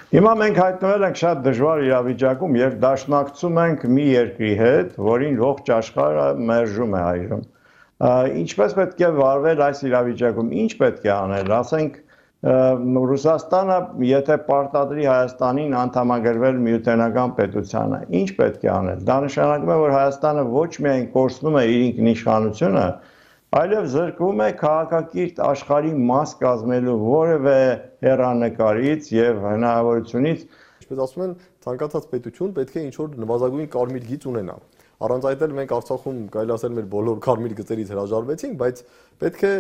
Հիմա մենք հայտնվել ենք շատ դժվար իրավիճակում, երբ դաշնակցում ենք մի երկրի հետ, որին ողջ աշխարհը մերժում է այժմ։ Ինչպես պետք է վարվել այս իրավիճակում, ինչ պետք է անել, ասենք Ռուսաստանը, եթե պարտադրի Հայաստանին անդամագրվել միութենական պետությանը, ինչ պետք է անել։ Դա նշանակում է, որ Հայաստանը ոչ միայն կորցնում է իր ինքնիշխանությունը, այլև զրկվում է քաղաքակիրթ աշխարհի մաս կազմելու որևէ հեռանկարից եւ հնարավորությունից։ Ինչպես ասում են, ցանկացած պետություն պետք է ինչ-որ նվազագույն կարմիր գիծ ունենա։ Առանց այդ էլ մենք Արցախում կարելի ասել մեր բոլոր կարմիր գծերից հրաժարվեցինք, բայց պետք է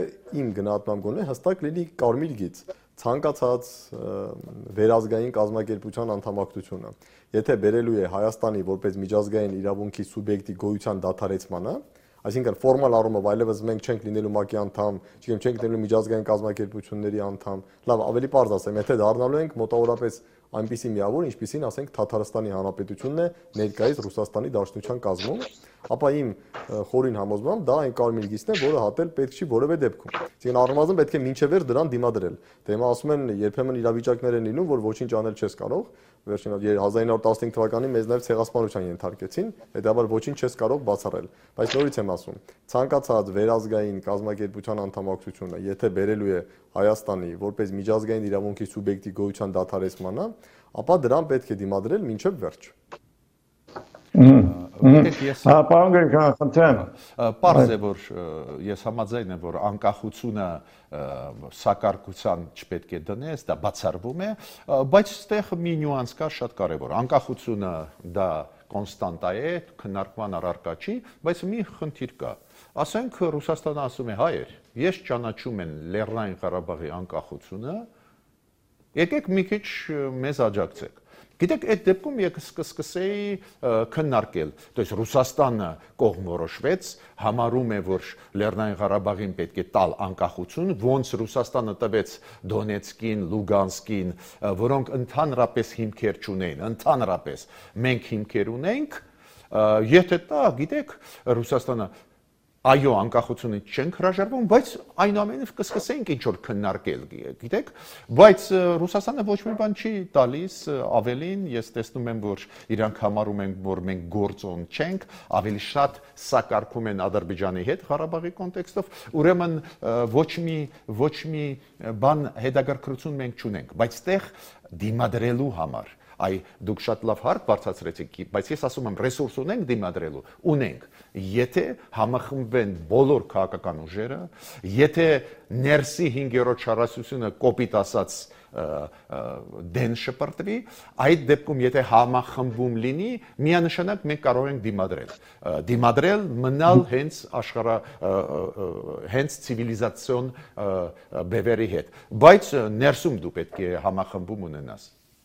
իմ գնահատմամբ գոնե հստակ լինի կարմիր գիծ, ցանկացած վերազգային կազմակերպության անդամակցությունը։ Եթե բերելու է Հայաստանի որպես միջազգային իրավունքի սուբյեկտի գոյության դադարեցմանը, այսինքն ֆորմալ առումով այլևս մենք չենք լինելու ՄԱԿ-ի անդամ, չենք լինելու միջազգային կազմակերպությունների անդամ, լավ, ավելի պարզ ասեմ, եթե դառնալու ենք մոտավորապես այնպիսի միավոր, ինչպիսին ասենք Թաթարստանի Հանրապետությունն է ներկայիս Ռուսաստանի Դաշնության կազմում, ապա իմ խորին համոզմամբ դա այն կարմիր գիծն է, որը հատել պետք չի որևէ դեպքում։ Այսինքն առնվազն պետք է մինչև վեր դրան դիմադրել։ Դե հիմա ասում են երբեմն իրավիճակներ են լինում, որ ոչինչ անել չես կարող։ Վերջին 1915 թվականին մեզ նաև ցեղասպանության ենթարկեցին, հետաբար ոչինչ չես կարող բացառել։ Բայց նորից եմ ասում, ցանկացած վերազգային կազմակերպության անդամակցությունը, եթե բերելու է Հայաստանի որպես միջազգային իրավունքի սուբյեկտի գոյության դադարեցմանը, ապա դրան պետք է դիմադրել մինչև վերջ։ Պարոն Գրիգորյան, խնդրեմ։ Պարզ է, որ ես համաձայն եմ, որ անկախությունը սակարկության չպետք է դնես, դա բացառվում է, բայց այստեղ մի նյուանս կա շատ կարևոր։ Անկախությունը դա կոնստանտա է, քննարկման առարկա չի, բայց մի խնդիր կա։ Ասենք Ռուսաստանը ասում է՝ հայեր, ես ճանաչում եմ Լեռնային Ղարաբաղի անկախությունը, եկեք մի քիչ մեզ աջակցեք։ Գիտեք, այդ դեպքում ես կսկսեի քննարկել, то есть Ռուսաստանը կողմ որոշվեց, համարում է, որ Լեռնային Ղարաբաղին պետք է տալ անկախություն, ոնց Ռուսաստանը տվեց Դոնեցկին, Լուգանսկին, որոնք ընդհանրապես հիմքեր չունեին, ընդհանրապես մենք հիմքեր ունենք, եթե տա, գիտեք, Ռուսաստանը այո, անկախությունը չենք հրաժարվում, բայց այնուամենայնիվ կսկսենք ինչ-որ քննարկել, գիտեք, բայց Ռուսաստանը ոչ մի բան չի տալիս, ավելին ես տեսնում եմ, որ իրանք համարում են, որ մենք գործոն չենք, ավելի շատ սակարկում են Ադրբեջանի հետ Ղարաբաղի կոնտեքստով, ուրեմն ոչ մի բան հետաքրքրություն մենք չունենք, բայց տեղ դիմադրելու համար Այ դուք շատ լավ հարկ բարձրացրեցիք, բայց ես ասում եմ ռեսուրս ունենք դիմադրելու, ունենք, եթե համախմբվեն բոլոր քաղաքական ուժերը, եթե ներսի 5-րդ շարասությունը կոպիտ ասած դեն շպրտվի, այդ դեպքում եթե համախմբում լինի, միանշանակ մենք կարող ենք դիմադրել, մնալ հենց ցիվիլիզացիոն բևերի հետ, բայց ներսում դու պետք է համախմբում ունենաս